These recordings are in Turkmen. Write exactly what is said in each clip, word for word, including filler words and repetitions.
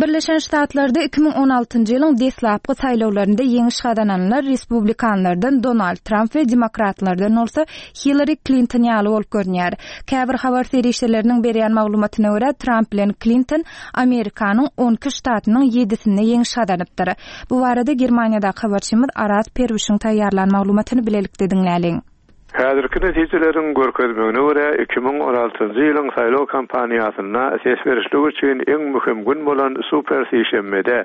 Birleşen Ştatlarda iki müň on altynjy ýylyň deslapky saýlawlarynda ýeňiş gazananlar respublikanlardan Donald Tramp we demokratlardan bolsa Hillari Klinton ýaly bolup görünýär. Käbir habar serişdeleriniň berýän maglumatyna görä, Tramp bilen Klinton Amerikanyň on iki ştatynyň ýedisinde ýeňiş gazanypdyr. Bu barada Germaniýadaky habarçymyz Araz Perwişiň taýýarlan maglumatyny bilelikde diňläliň. Häzirki netijeleriň görkezmegine görä, iki müň on altynjy ýylyň saýlaw kampaniýasynda ses berişlik üçin iň möhüm gün bolan super sişenbede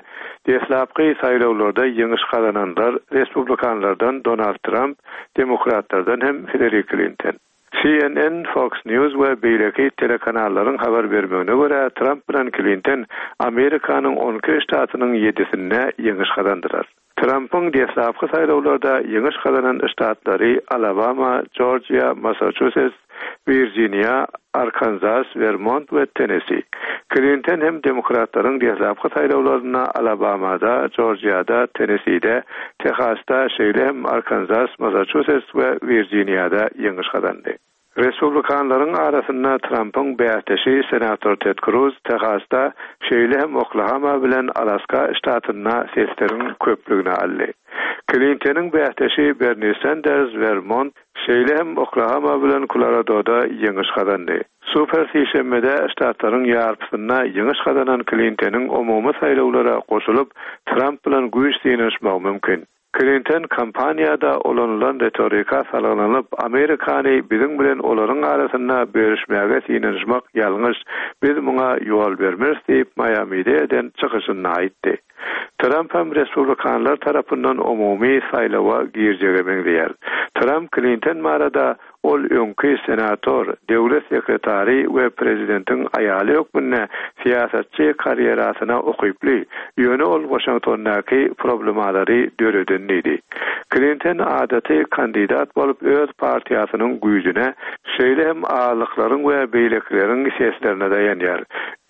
deslapky saýlawlarda ýeňiş gazananlar respublikanlardan Donald Tramp, demokratlardan hem Hillary Clinton. C N N, Fox News we beýleki telekanallaryň habar bermegine görä, Tramp bilen Clinton Amerikanyň on iki ştatynyň ýedisinde ýeňiş gazandylar. Trump'yň deslapky saýlawlarda ýeňiş gazanan ştatlary Alabama, Georgia, Massachusetts, Virginia, Arkansas, Vermont we Tennessee. Clinton hem demokratlaryň deslapky saýlawlarynda Alabamada, Georgia'da, Tennessee'de, Texas'da, şeýle hem Arkansas, Massachusetts we Virginia'da ýeňiş gazandy. Respublikanlaryň arasynda Trump'yň bäsdeşi senator Ted Cruz Texas'da, şeýle hem Oklahoma bilen Alaska ştatynda sesleriň köplügini aldy. Clinton'yň bäsdeşi Bernie Sanders Vermont, şeýle hem Oklahoma bilen Colorado'da ýeňiş gazandy. Super sişenbede ştatlaryň ýarpysynda ýeňiş gazanan Clinton'yň umumy saýlawlara goşulyp, Trump bilen güýç synanyşmagy mümkin. Clinton kampaniýada ulanylan retorika salgylanyp, Amerikany biziň bilen olaryň arasynda bölüşmäge synanyşmak ýalňyş, biz muňa ýol bermeris diýip Miami'de eden çykyşynda aýtdy. Trump hem respublikanlar tarapyndan umumy saýlawa girjege meňzeýär. Trump Clinton barada ol öňki senator, döwlet sekretary we prezidentiň aýaly hökmünde syýasatçy karýerasyna ukyply, ýöne ol Washingtondaky problemalary döreden diýdi. Clinton adaty kandidat bolup öz partiýasynyň güýjüne, şeýle hem ağırlyklaryň we beýlekileriň seslerine daýanýar.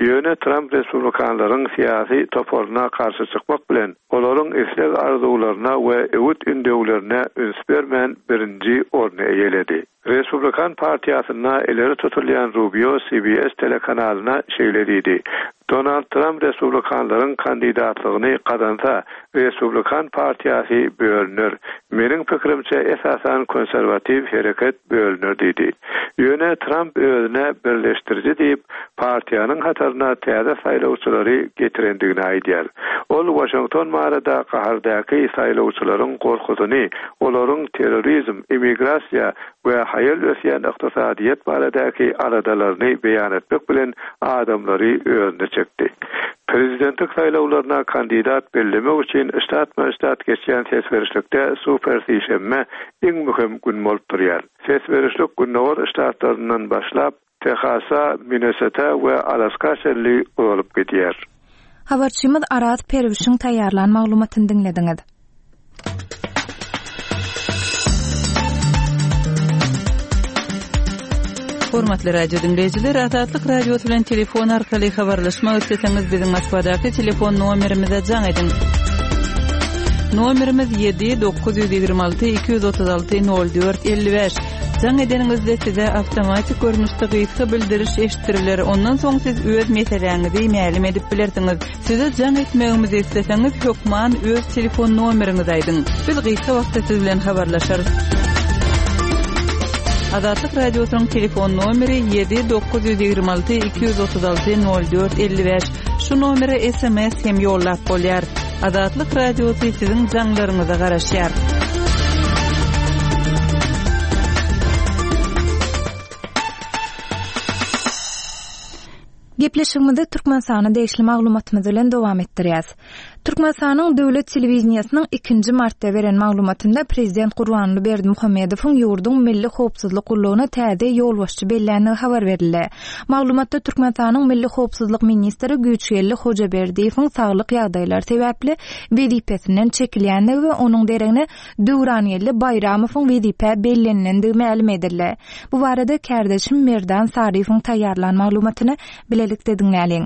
Ýöne Trump respublikanlaryň syýasy toparyna garşy çykmak bilen olaryň isleg arzuwlaryna we öwüt ündewlerine üns bermän birinji orny eýeledi. Respublikan partiýasynda ileri tutulýan Rubio C B S telekanalyna şeýle diýdi. Donald Trump respublikanlaryň kandidatlygyny gazansa, Respublikan partiýasy bölüner. Meniň pikirimçe esasan konserwatiw hereket bölüner diýdi. Ýöne Trump özüne birleşdiriji diýip, partiýanyň hataryna täze saýlawçylary getirendigini aýdýar. Ol Washington barada gahardaky saýlawçylaryň gorkusyny, olaryň terrorizm, immigrasiýa we haýal ösýän ykdysadyýet baradaky aladalaryny beýan etmek bilen adamlary özüne çekdi. Prezidentlik saýlawlaryna kandidat bellemek üçin ştat-ma-ştat geçýän ses berişlikde super sişenbe iň möhüm gün bolup durýar. Ses berişlik Gündogar ştatlaryndan başlap Texasa, Minnesota we Alaska çenli uzalyp gidýär. Habarçymyz Araz Perwişiň taýýarlan maglumatyny diňlediňiz. Hormatly radio dinleýjiler, Azatlyk Radiosy bilen telefon arkaly habarlaşmak isleseňiz biziň Moskwadaky telefon nomerimize jaň ediň. Nomerimiz ýedi dokuz ýüz ýigrimi alty iki ýüz otuz alty nol dört elli bäş. Jaň edeniňizde size awtomatik görnüşde gysga bildiriş eşitdiriler. Ondan soň siz öz meseläňizi mälim edip bilersiňiz. Size jaň etmegimizi isleseňiz hökman öz telefon nomeriňizi aýdyň. Biz gysga wagtda siz bilen habarlaşarys. Azatlyk Radiosynyň telefon nomeri ýedi dokuz ýüz ýigrimi alty iki ýüz otuz alty nol dört elli bäş. Şu nomere S M S hem ýollap bolýar. Azatlyk Radiosy siziň jaňlaryňyza garaşýar. Gepleşigimizi Türkmenistana degişli maglumatymyz bilen dowam etdirýäs. Türkmenistanyň döwlet telewideniýesiniň ikinji martda beren maglumatynda Prezident Gurbanguly Berdimuhamedowyň ýurduň Milli Howpsuzlyk gullugyna täze ýolbaşçy bellendigi habar berildi. Maglumatda Türkmenistanyň Milli Howpsuzlyk ministri Güýçgeldi Hojaberdiýewiň saglyk ýagdaýlary sebäpli wezipesinden çekilýändigi we onuň deregine Döwrangeldi Baýramowyň wezipä bellenilendigi mälim edildi. Bu barada kärdeşim Merdan Saryýewiň taýýarlan maglumatyny bilelikde diňläliň.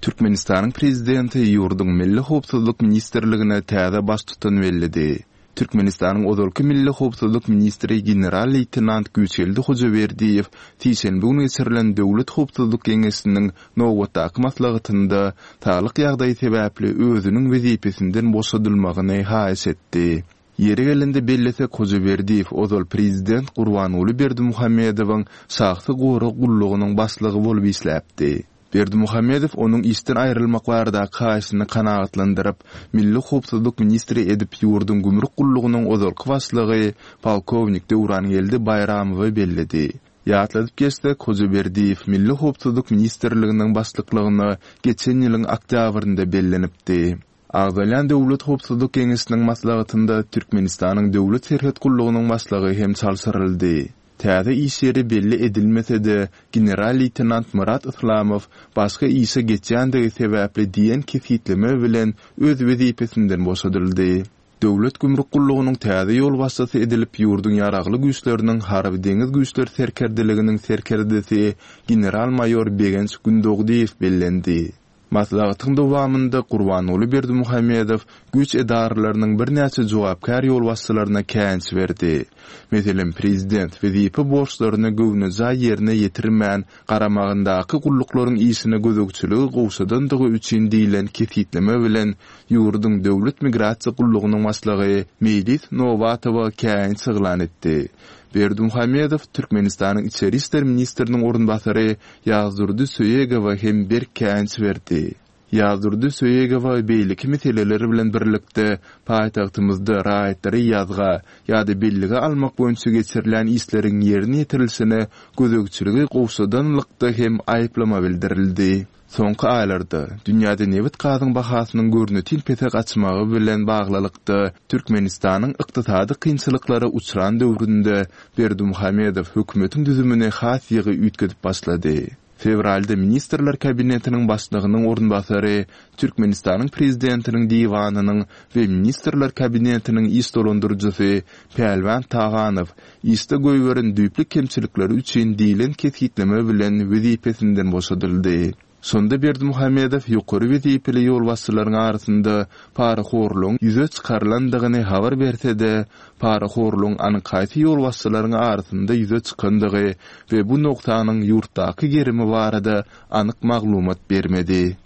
Türkmenistanyň prezidenti ýurduň Milli Howpsuzlyk ministrligine täze baştutan belledi. Türkmenistanyň ozalky Milli howpsuzlyk ministri general-leýtenant Güýçgeldi Hojaberdiýew sişenbe güni geçirilen Döwlet howpsuzlyk geňeşiniň nobatdaky maslahatynda saglyk ýagdaýy sebäpli özüniň wezipesinden boşadylmagyny haýyş etdi. Ýeri gelende bellesek, Hojaberdiýew ozal prezident Gurbanguly Berdimuhamedowyň şahsy gorag gullugynyň başlygy bolup işläpdi. Berdimuhamedow onuň işden aýrylmak baradaky haýyşyny kanagatlandyryp, Milli howpsuzlyk ministri edip ýurduň gümrük gullugynyň ozalky başlygy polkownik Döwrangeldi Baýramowy belledi. Ýatladyp geçsek, Hojaberdiýew Milli howpsuzlyk ministrliginiň başlyklygyna geçen ýylyň oktýabrynda bellenipdi. Agzalýan Döwlet howpsuzlyk geňeşiniň maslahatynda Türkmenistanyň Döwlet serhet gullugynyň başlygy hem çalşyryldy. Täze iş ýeri belli edilmese-de, general-leýtenant Myrat Yslamow başga işe geçýändigi sebäpli diýen kesgitleme bilen öz wezipesinden boşadyldy. Döwlet gümrük gullugynyň täze ýolbaşçysy edilip ýurduň Ýaragly Güýçleriniň Harby-deňiz güýçleri serkerdeliginiň serkerdesi general-maýor Begenç Gündogdyýew bellendi. Maslahatyň dowamynda Gurbanguly Berdimuhamedow güýç edaralarynyň birnäçe jogapkär ýolbaşçylaryna käýinç berdi. Meselem, prezident wezipe borçlaryny göwnejaý ýerine ýetirmän, garamagyndaky gulluklaryň işine gözegçiligi gowşadandygy üçin diýlen kesgitleme bilen ýurduň Döwlet migrasiýa gullugynyň başlygy Meýlis Nobatowa käýinç yglan etdi. Berdimuhamedow Türkmenistanyň Içeri işler ministriniň orunbasary Ýazdurdy Söýegowa hem berk käýinç berdi. Ýazdurdy Söýegowa beýleki meseleler bilen birlikde paýtagtymyzda raýatlary ýazga ýa-da bellige almak boýunça geçirilýän işleriň ýerine ýetirilişine gözegçiligi gowşadanlykda hem aýyplama bildirildi. Soňky aýlarda dünýäde nebit-gazyň bahasynyň görnetin pese gaçmagy bilen baglylykda Türkmenistanyň ykdysady kynçylyklara uçran döwründe Berdimuhamedow hökümetiň düzümini has ýygy üýtgedip başlady. Fewralda Ministrler Kabinetiniň başlygynyň orunbasary, Türkmenistanyň Prezidentiniň Diwanynyň we Ministrler Kabinetiniň iş dolandyryjysy Pälwan Taganow işde goýberen düýpli kemçilikleri üçin diýlen kesgitleme bilen wezipesinden boşadyldy. Şonda Berdimuhamedow ýokary wezipeli ýolbaşçylaryň arasynda parahorlugyň ýüze çykarylandygyny habar berse-de, parahorlugyň anyk haýsy ýolbaşçylaryň arasynda ýüze çykandygy we bu nogsanyň ýurtdaky gerimi barada anyk maglumat bermedi.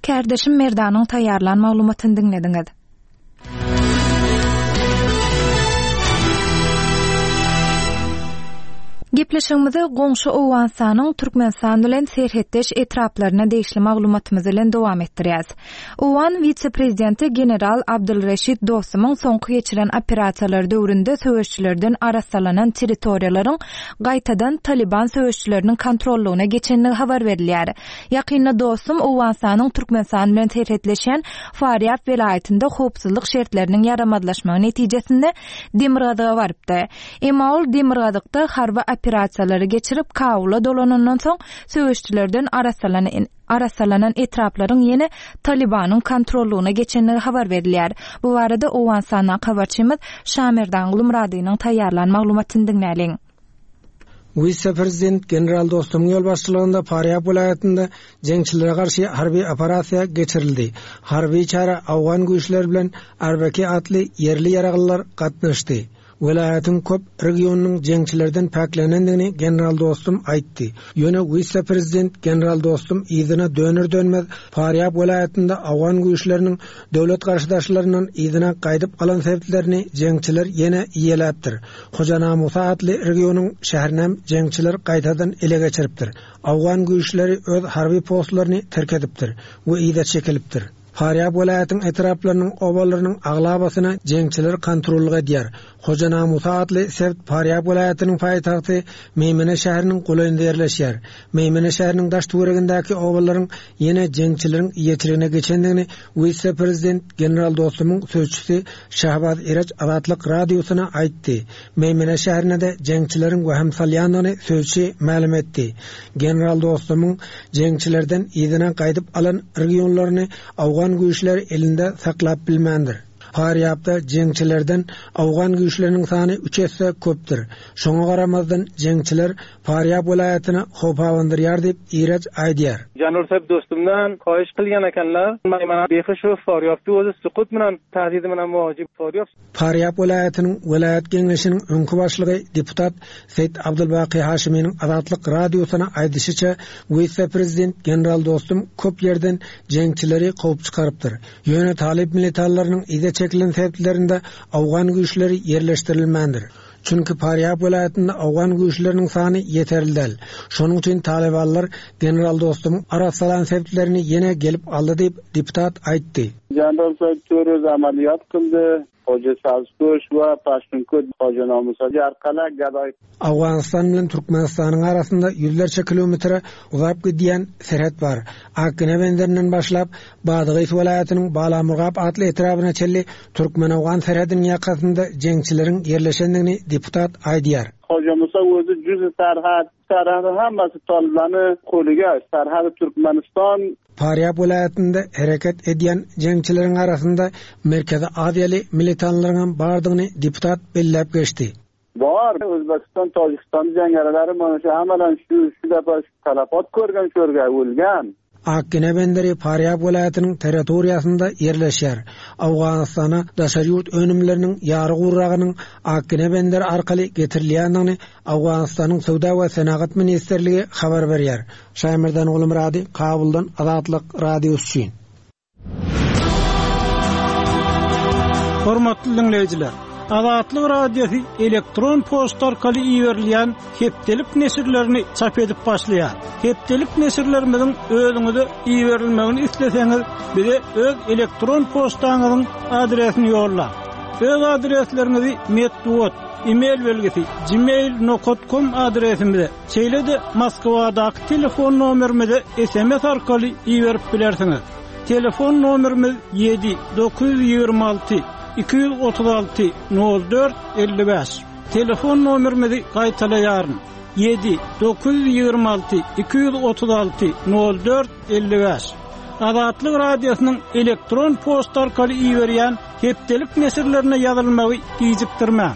Kärdeşim Merdanyň taýýarlan maglumatyny diňlediňiz. Gepleşigimizi goňşy Owganystanyň Türkmenistan bilen serhetdeş etraplaryna degişli maglumatymyz bilen dowam etdirýäs. Owgan wise-prezidenti general Abdulreşid Dostumyň soňky geçiren operasiýalary döwründe söweşçilerden arassalanan territoriýalaryň gaýtadan Taliban söweşçileriniň kontrollygyna geçenligi habar berilýär. Ýakynda Dostum Owganystanyň Türkmenistan bilen serhetleşýän Farýab welaýatynda howpsuzlyk şertleriniň ýaramazlaşmagy netijesinde Demirgazyga barypdy. Emma ol Demirgazykda harby operasiýalary geçirip Kabula dolanandan soň söweşçilerden arassalanan arassalanan etraplaryň ýene Talibanyň kontrollygyna geçenligi habar berilýär. Bu barada Owganystandan habarçymyz Şamerdan Gulmuradynyň taýýarlan maglumatyny diňläliň. Wise-prezident general Dostumyň ýolbaşçylygynda Farýab welaýatynda jeňçilere garşy harby operasiýa geçirildi. Harby çäre Awgan güýçleri bilen Arbeki atly ýerli ýaraglylar gatnaşdy. Welaýatyň köp regionynyň jeňçilerden päklenendigini general Dostum aýtdy. Ýöne wise-prezident general Dostum yzyna döner dönmez Farýab welaýatynda Awgan güýçleriniň döwlet garşydaşlaryndan yzyna gaýdyp alan sebitlerini jeňçiler ýene iýeläpdir. Hojana Musa atly regionyň şäherinem jeňçiler gaýtadan ele geçiripdir. Awgan güýçleri öz harby postlaryny terk edipdir we yza çekilipdir. Farýab welaýatyň etraplarynyň obalarynyň aglabasyna jeňçiler kontrollyk edýär. Hojana Musa atly sebit Farýab welaýatynyň paýtagty Meýmene şäheriniň golaýynda ýerleşýär. Meýmene şäheriniň daş töweregindäki obalaryň ýene jeňçileriň eýeçiligine geçendigini wise-prezident general Dostumyň sözçüsi Şahbaz Iraç Azatlyk radiosyna aýtdy. Meýmene şäherine-de jeňçileriň wehim salýandygyny sözçi mälim etdi. General Dostumyň jeňçilerden yzyna gaýdyp alan regionlaryny Awgan güýçleri elinde saklap bilmändir. Farýapda jeňçilerden Awgan güýçleriniň sany üç esse köpdür. Şoňa garamazdan jeňçiler Farýap welaýatyna howp abandyrýar diýip Iraç aýdýar. General sahib dostumdan haýyş qilgan ekanlar, mana behi shu Faryabda o'zi suqut bilan tahdidi bilan muvojib Faryab. Farýap welaýatynyň welaýat geňeşiniň öňki başlygy deputat Seýit Abdulbaki Haşiminiň Azatlyk radiosyna aýdyşyça, wise-prezident general dostum köp ýerden jeňçileri kowup çykarypdyr. Ýöne talyp militarlarynyň ize çekilen sebitlerinde Awgan güýçleri ýerleşdirilmändir. Çünki Farýap welaýatynda Awgan güýçleriniň sany ýeterli däl. Şonuň üçin talybanlar general dostumyň arassalan sebitlerini ýene gelip aldy diýip deputat aýtdy. General sahib to'rt amaliyot qildi. Hoca Sabzpuş we Paştunkut Hoca Namusa Jarkala Gaday. Awganystan bilen Türkmenistanyň arasynda ýüzlerçe kilometre uzap gidýän serhet bar. Akgine benderinden başlap Badagys welaýatynyň Balamurgap atly etrabyna çenli Türkmen-Awgan serhediniň ýakasynda jeňçileriň ýerleşendigini deputat aýdýar. Hoca Musa o'zi juz sarhad, sarhad hammasi toliblarni qo'liga, sarhad Türkmenistan. Farýap welaýatynda hereket edýän jeňçileriň arasynda Merkezi Aziýaly militanlaryň bardygyny deputat belläp geçdi. Bar, O'zbekiston, Tojikiston jangarilari mana shu hammadan shu shu defa talafot ko'rgan, shu yerga o'lgan. Akgine benderi Farýap welaýatynyň territoriýasynda ýerleşýär. Awganystana daşary ýurt önümleriniň ýary gurragynyň Akgine benderi arkaly getirilýändigini Awganystanyň Söwda we Senagat ministrligi habar berýär. Şaýmerdan Gulmurady, Kabuldan Azatlyk radiosy üçin. Hormatly dinleýjiler, Azatlyk radiosy elektron poçta arkaly iberilýän hepdelik neşirlerini çap edip başlaýar. Hepdelik neşirlerimiziň özüňize iberilmegini isleseňiz, bize öz elektron poçtaňyzyň adresini ýollaň. Öz adresleriňizi metbugat, e-mail belgisi gmail nokta com adresimize, şeýle-de Moskwadaky telefon nomerimize S M S arkaly iberip bilersiňiz. Telefon nomerimiz ýedi dokuz ýüz ýigrimi alty iki ýüz otuz alty nol dört elli bäş. Telefon nomerimizi gaýtalaýaryn. Ýedi dokuz ýüz ýigrimi alty iki ýüz otuz alty nol dört elli bäş. Azatlyk radiosynyň elektron poçta arkaly iberýän hepdelik neşirlerine ýazylmagy gijikdirmäň.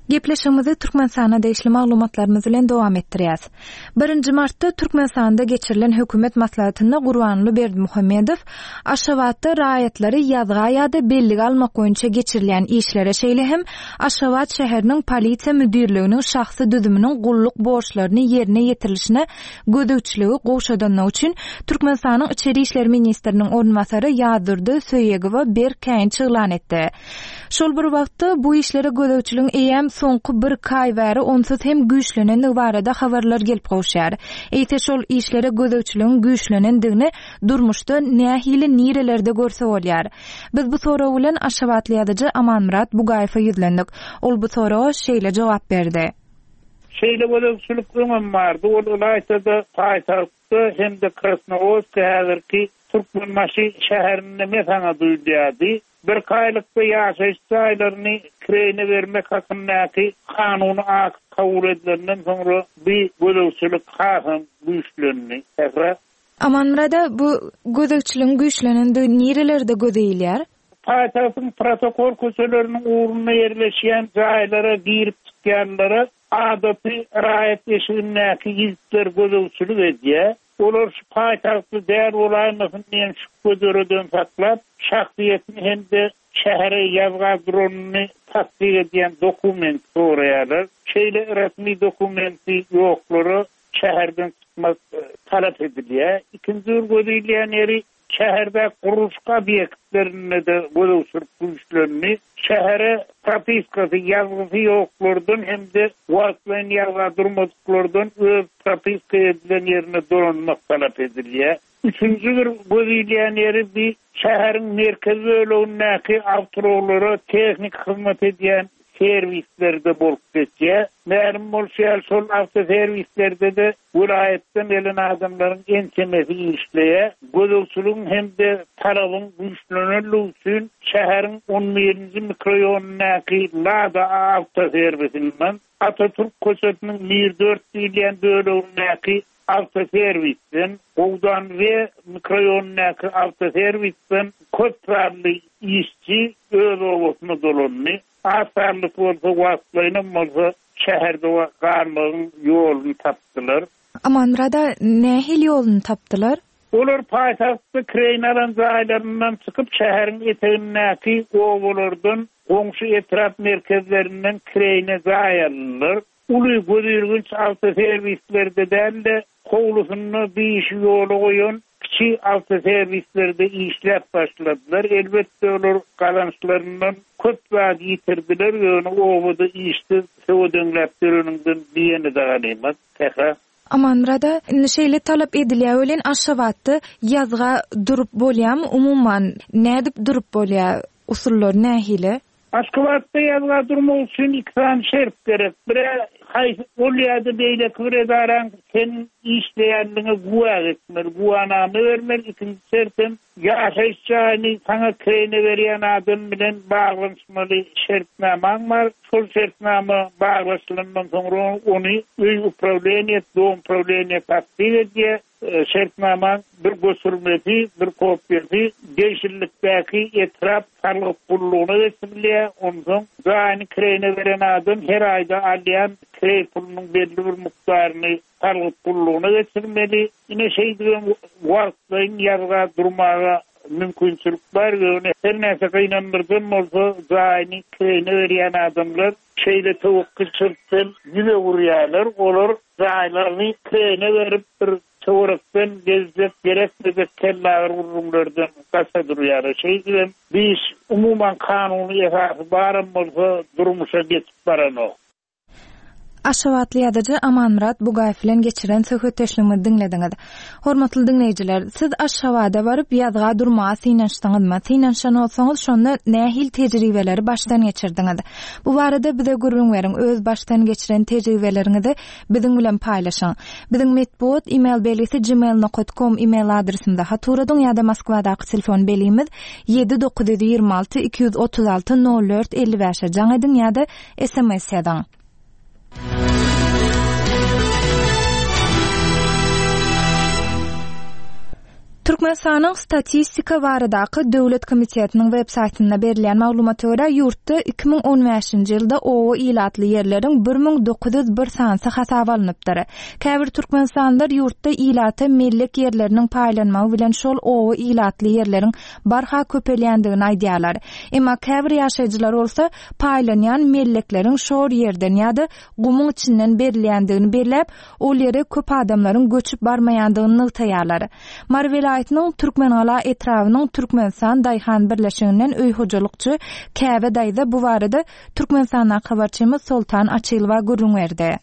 Gepleşigimizi Türkmenistana degişli maglumatlarymyz bilen dowam etdirýäs. Birinji martda Türkmenistanda geçirilen hökümet maslahatynda Gurbanguly Berdimuhamedow Aşgabatda raýatlary ýazga ýa-da bellige almak boýunça geçirilýän işlere, şeýle hem Aşgabat şäheriniň polisiýa müdirliginiň şahsy düzüminiň gulluk borçlaryny ýerine ýetirilişine gözegçiligi gowşadanlygy üçin Türkmenistanyň İçeri İşler Ministriniň orunbasary Ýazdurdy Söýegowa berk käýinç yglan etdi. Şol bir wagtda bu işlere gözegçiligiň eýäm soňky bir aý bäri onsuz hem güýçlenendigi barada habarlar gelip gowşýar. Eýse şol işlere gözegçiligiň güýçlenendigini durmuşda nähili nirelerde görse bolýar. Biz bu sorag bilen Aşgabatly ýazyjy Amanmyrat Bugaýewe ýüzlendik. Ol bu soraga şeýle jogap berdi. Şeýle gözegçilik öňem bardy. Ol ylaýta-da paýtagtda hem-de Krasnowodsk häzirki Türkmenbaşy şäherinde mesaňa duýulýardy. Bir aýlykda ýaşaýyş jaýlaryny kireýine bermek hakyndaky kanuny akt kabul edilenden soňra bir gözegçilik hasam güýçlendi. Sähra. Amanmyrada, bu gözegçiligiň güýçlenendigi nirelerde göze ilýär? Paýtagtyň protokol köçeleriniň ugrunda ýerleşýän jaýlara girip çykýanlara adaty raýat eşigindäki ýigitler gözegçilik edýär. Olar şu paýtagtly däl bolaýmasyn diýen şübhe döreden saklap, şahsyýetini hem-de şähere ýazga duranyny tasdik edýän dokument soraýarlar. Şeýle resmi dokumenti ýoklara şäherden çykmak, e, talap edilýär. Ikinji bir göz ilýän ýeri şäherde gurluşyk obýektlerinde de gözegçilik güýçlendi. Şähere propiskasy, ýazgysy ýoklardan hem-de wagtlaýyn ýazga durmadyklardan öz propiska edilen ýerine dolanmak talap edilýär. Üçünji bir göz ilýän ýeri bir şäheriň merkezi bölegindäki awtoulaglara tehnik hyzmat edýän servislerde bolup geçýär. Mälim bolşy ýaly şol awtoserwislerde de welaýatdan gelen adamlaryň ençemesi işleýär. Gözegçiligiň hem-de talabyň güýçlenenligi üçin şäheriň on birinji mikroýonundaky Lada awtoserwisinden Atatürk köçesiniň Mir dört diýilýän bölegindäki Awtoserwisden, Gowdan we mikroraýondaky awtoserwisden köp sanly işçi öz obasyna dolandy. Az sanlysy bolsa wagtlaýyn bolsa şäherde galmagyň ýoluny tapdylar. Amanmyrat aga, nähili ýoluny tapdylar? Olar paýtagtda kireýine alan jaýlaryndan çykyp şäheriň etegindäki obalardan, goňşy etrap merkezlerinden kireýine jaý aldylar. Uly gözilginç awtoserwislerde däl-de, howlusynda bir işi ýola goýan kiçi awtoserwislerde işläp başladylar. Elbetde olar gazançlaryndan köp zat ýitirdiler, ýöne obada işsiz söwedeňläp döreninden diýeni de ganymat. Sähra. Amanmyrat aga, indi şeýle talap edilýär welin Aşgabatda ýazga durup bolýarmy? Umuman, nädip durup bolýar? Usullar nähili? Aşgabatda ýazga durmak üçin iki sany şert gerek. Biri haýsy ol ýa-da beýleki bir edaraň senin işleýänligiňe güwä geçmeli, güwanama bermeli. Ikinji şertem ýaşaýyş jaýyny saňa kireýine berýän adam bilen baglanyşmaly şertnamaň bar. Şol şertnama baglaşylandan soňra ony öý uprawleniýe, dom uprawleniýe tasdik edýär. Şertnamaň bir göçürmesi, bir kopýasy degişlilikdäki etrap salgyt gullugyna geçirilýär. Onsoň jaýyny kireýine beren adam her aýda alýan kireý pulunyň belli bir mukdaryny salgyt gullugyna geçirmeli. Ine şeýdibem wagtlaýyn ýazga durmaga mümkinçilik bar. Ýöne her näçe gynandyrjam bolsa jaýyny kireýine berýän adamlar şeýle töwekgelçilikden ýüze urýarlar. Olar jaýlaryny kireýine berip bir töwerekden gezjek gerekmejek kellagyr gurrumlardan gaça durýarlar. Şeýdibem bir iş umuman kanuny esasy baram bolsa durmuşa geçip baranok. Aşgabatly ýazyjy Amanmyrat Bugaýew bilen geçiren söhbetdeşligimizi diňlediňiz. Hormatly diňleýjiler, siz Aşgabada baryp ýazga durmaga synanyşdyňyzmy? Synanyşan bolsaňyz, şonda nähili tejribeleri başdan geçirdiňiz? Bu barada bize gürrüň beriň, öz başdan geçiren tejribeleriňizi biziň bilen paýlaşyň. Biziň metbugat e-mail belgisi gmail nokta com e-mail adresimize hat ugradyň ýa-da Moskwadaky telefon belgimiz ýedi dokuz ýüz ýigrimi alty iki ýüz otuz alty nol dört elli bäşe jaň ediň ýa-da S M S ýazyň. Türkmenistanyň Statistika baradaky Döwlet komitetiniň web saýtynda berilýän maglumata görä, ýurtda iki müň on bäşinji ýylda oba ilatly ýerleriň bir müň dokuz ýüz bir sanysy hasaba alnypdyr. Käbir türkmenistanlylar ýurtda ilata mellek ýerleriniň paýlanmagy bilen şol oba ilatly ýerleriň barha köpelýändigini aýdýarlar. Emma käbir ýaşaýjylar bolsa paýlanýan mellekleriň şor ýerden ýa-da gumuň içinden berilýändigini belläp, ol ýere köp adamlaryň göçüp barmaýandygyny nygtaýarlar. Mary welaýatynyň Türkmengala etrabynyň Türkmenistan Daýhan Birleşiginden öý hojalykçy Käbe daýza bu barada Türkmenistandaky habarçymyz Soltan Açylowa gürrüň berdi.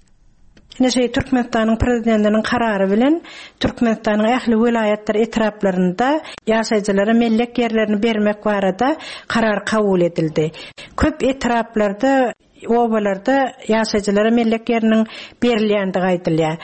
Ine şey Türkmenistanyň prezidentiniň karary bilen Türkmenistanyň ähli welaýatlar etraplarynda ýaşaýjylara mellek ýerlerini bermek barada karar kabul edildi. Köp etraplarda, obalarda ýaşaýjylara mellek ýeriniň berilýändigi aýdylýar.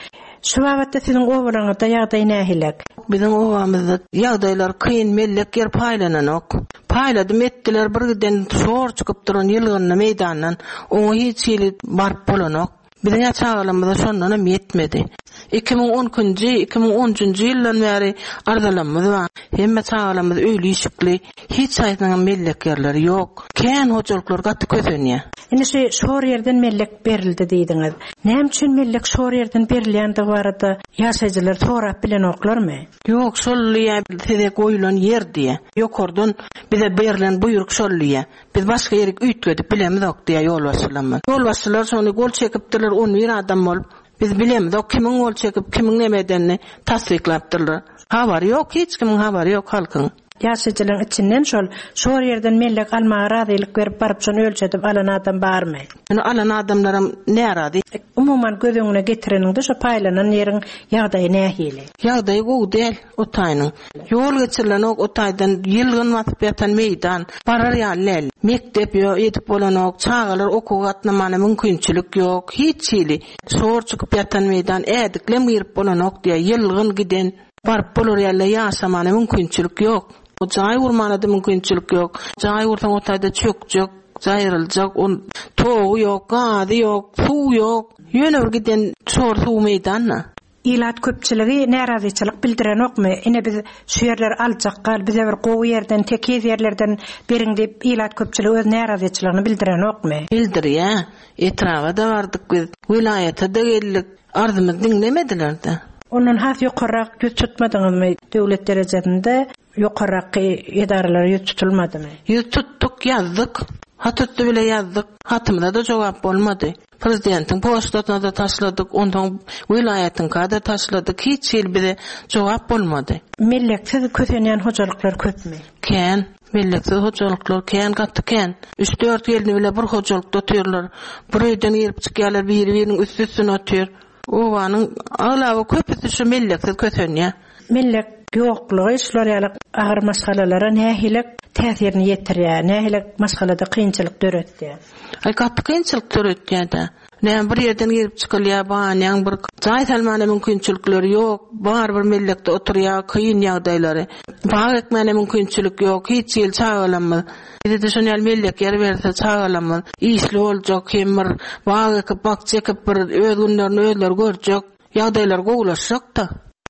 Şu babatda siziň obalaryňyzda ýagdaý nähili? Biziň obamyzda ýagdaýlar kyn, mellek ýer paýlananok. Paýladym etdiler, bir giden şor çykyp duran ýylgynly meýdandan oňa hiç hili baryp bolanok. Biziň çagalarymyza şondan hem ýetmedi. Iki müň on ikinji, iki müň on üçünji ýyldan bäri arzalarymyz bar. Hemme çagalarymyz öýli işikli, hiç haýsynyň mellek ýerleri ýok. Kän hojalyklar gaty kösenýär. Indi şu şor ýerden mellek berildi diýdiňiz. Näme üçin mellek şor ýerden berilýändigi barada ýaşaýjylar sorap bilenoklarmy? Ýok, şol diýä, size goýulan ýer diýä. Ýokardan bize berlen buýruk şol diýä. Biz başga ýeri üýtgedip bilemizok diýä ýolbaşçylarymyz. Ýolbaşçylar şony gol çekipdirler, on bir adam bolup. Biz bilemizok kimiň gol çekip, kimiň näme edenini tassyklapdyrlar. Habary ýok, hiç kimiň habary ýok halkyň. Ýaşaýjylaryň içinden şol şor ýerden mellek almaga razylyk berip baryp şony ölçedip alan adam barmy? Ýöne alan adamlaram närazy. Umuman göz öňüne getireniňde şo paýlanan ýeriň ýagdaýy nähili? Ýagdaýy gowy däl o taýynyň. Ýol geçirilenok o taýdan ýylgyn basyp ýatan meýdan, barar ýaly däl. Mekdep ýok, edip bolanok, çagalar okuwa gatnamana mümkinçilik ýok, hiç hili. Şor çykyp ýatan meýdan ädiklem girip bolanok diýä, ýylgyn giden baryp bolar ýaly ýaşamana mümkinçilik ýok. O jaý gurmana da mümkinçilik ýok. Jaý gursaň o taýda çökjek, jaýryljak, on togy ýok, gazy ýok, suw ýok. Ýöne bir giden şor suw meýdanda. Ilat köpçüligi närazyçylyk bildirenokmy? Ine biz şu ýerleri aljak gal, bize bir gowy ýerden, tekiz ýerlerden beriň diýip ilat köpçüligi öz närazyçylygyny bildirenokmy? Bildirýär. Etraba-da bardyk biz, welaýata-da geldik. Arzymyzy diňlemediler-de. Ondan has ýokarrak ýüz tutmadyňyzmy? Döwlet derejesinde ýokarraky edaralara ýüz tutulmadymy? Ýüz tutduk, ýazdyk. Hat üsti bile ýazdyk. Hatymyza-da jogap bolmady. Prezidentiň poçtasyna-da taşladyk, onsoň welaýatyňka-da taşladyk. Hiç hili bize jogap bolmady. Melleksiz kösenýän hojalyklar köpmi? Kän. Melleksiz hojalyklar kän, gaty kän. Üç-dört gelni bile bir hojalykda otyrlar. Bir öýden girip çykýarlar, biri-biriniň üsti-üstüne otyr. Obanyň aglaba köpüsi şu melleksiz kösenýär. Mellek ýoklugy şular ýaly agyr maşgalalara nähili täsirini ýetirýär, nähili maşgalada kynçylyk döretýär? Aý, gaty kynçylyk döretýär-de. Näme bir ýerden girip çykylýar, banýaň bir jaý salmana mümkinçilikleri ýok, bar bir mellekde oturýar, kyn ýagdaýlary. Bag ekmäne mümkinçilik ýok, hiç ýyl çagalamyz. Bize-de şon ýaly mellek ýer berse çagalamyz işli boljak, hem bir bag ekip, bakja ekip bir öz günlerini özleri görjek, ýagdaýlar gowulaşjak-da.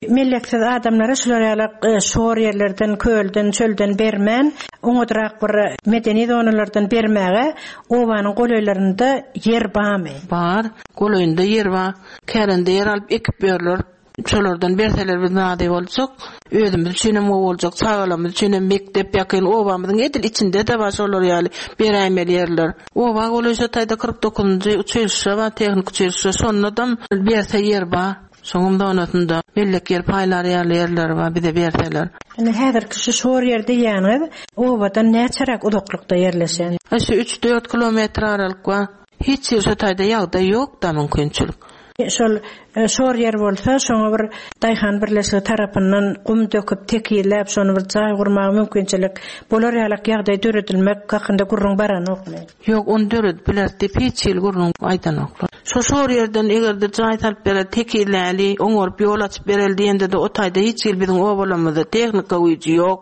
Melleksiz adamlara şular ýaly şor ýerlerden, kölden, çölden bermän, oňadrak bir medeni zonalardan bermäge obanyň golaýlarynda ýer barmy? Bar, golaýynda ýer bar. Kärende ýer alyp ekip ýörler. Şolardan berseler biz nazy boljak. Özümiz üçin hem gowy boljak, çagalarymyz üçin hem mekdep ýakyn obamyzyň edil içinde-de bar şolar ýaly beräýmeli ýerler. Oba golaý şo taýda kyrk dokuzynjy uçilişe bar, tehnik uçilişe, şonda-da berse ýer bar. Şonuň zonasynda mellek ýer paýlar ýaly ýerler bar bize berseler. Indi häzirki şu şor ýer diýýäniňiz obadan näçeräk uzaklykda ýerleşen? Şu üç-dört kilometr aralyk bar. Hiç ýer şo taýda ýagdaý ýok da mümkinçilik. Şol şor ýer bolsa, şoňa bir daýhan birleşigi tarapyndan gum döküp, tekizläp, şony bir jaý gurmaga mümkinçilik bolar ýaly ýagdaý döredilmek hakynda gürrüň baranokmy? Ýok, ony döredip biler diýip hiç hili gürrüň aýdanoklar. Şo şor ýerden eger-de jaý salyp berer, tekizläli, oňaryp ýol açyp bereli diýende-de o taýda hiç hili biziň obalarymyzda tehnika güýji ýok.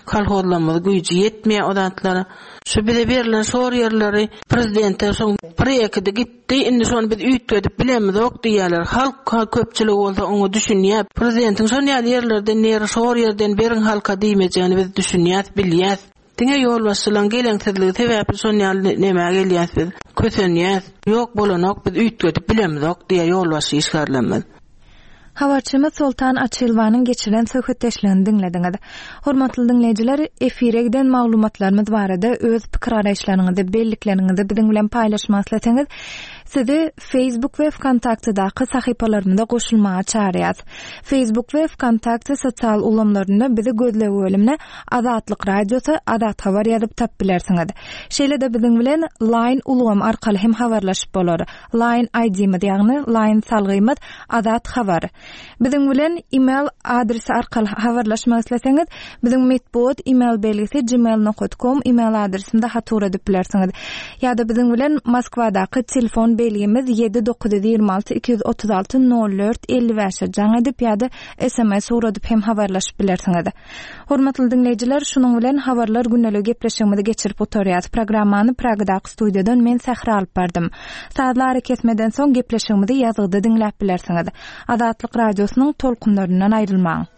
Kolhozlarymyz güýji ýetmeýär o zatlara. Şu bize berlen şor ýerleri prezidente şoň proýekti gitdi, indi şony biz üýtgedip bilemizok diýýärler. Halk köpçüligi bolsa oňa düşünýär. Prezidentiň şon ýaly ýerlerden ýeri şor ýerden beriň halka diýmejegini biz düşünýäs, bilýäs. Diňe ýolbaşçylaryň geleňsizligi sebäpli şon ýaly näme gelýäs biz? Kösenýäs. Ýok bolanok biz üýtgedip bilemizok diýýär ýolbaşçy işgärlerimiz. Habarçymyz Soltan Açylwanyň geçiren söhbetdeşligini diňlediňiz. Hormatly diňleýjiler, efire giden maglumatlarymyz barada öz pikir garaýyşlaryňyzy, bellikleriňizi biziň bilen paýlaşmak isleseňiz, sizi Facebook we VKontaktedaky sahypalarymyza goşulmaga çağırýarys. Facebook we VKontakte sosial ulgamlarynda bizi gözleg bölümine Azatlyk Radiosy, Azat Habar ýazyp tap bilersiňiz. Şeýle-de biziň bilen Line ulgamy arkaly hem habarlaşyp bolar. Line I D-miz, ýagny Line salgymyz Azat Habar. Biziň bilen e-mail adresi arkaly habarlaşmak isleseňiz, biziň metbugat e-mail belgisi gmail nokta com e-mail adresinde hat ugradyp bilersiňiz. Ýa-da biziň bilen Moskwadaky telefon belgimiz ýedi dokuz ýüz ýigrimi alty iki ýüz otuz alty nol dört elli bäşe jaň edip ýa-da S M S ugradyp hem habarlaşyp bilersiňiz. Hormatly diňleýjiler, şunuň bilen habarlar gündelik gepleşigimizi geçirip oturýarys. Programmany Pragadaky studiýadan men Sähra alyp bardym. Sazly ara kesmeden soň gepleşigimizi ýazgyda diňläp bilersiňiz. Azatlyk radiosynyň tolkunlaryndan aýrylmaň.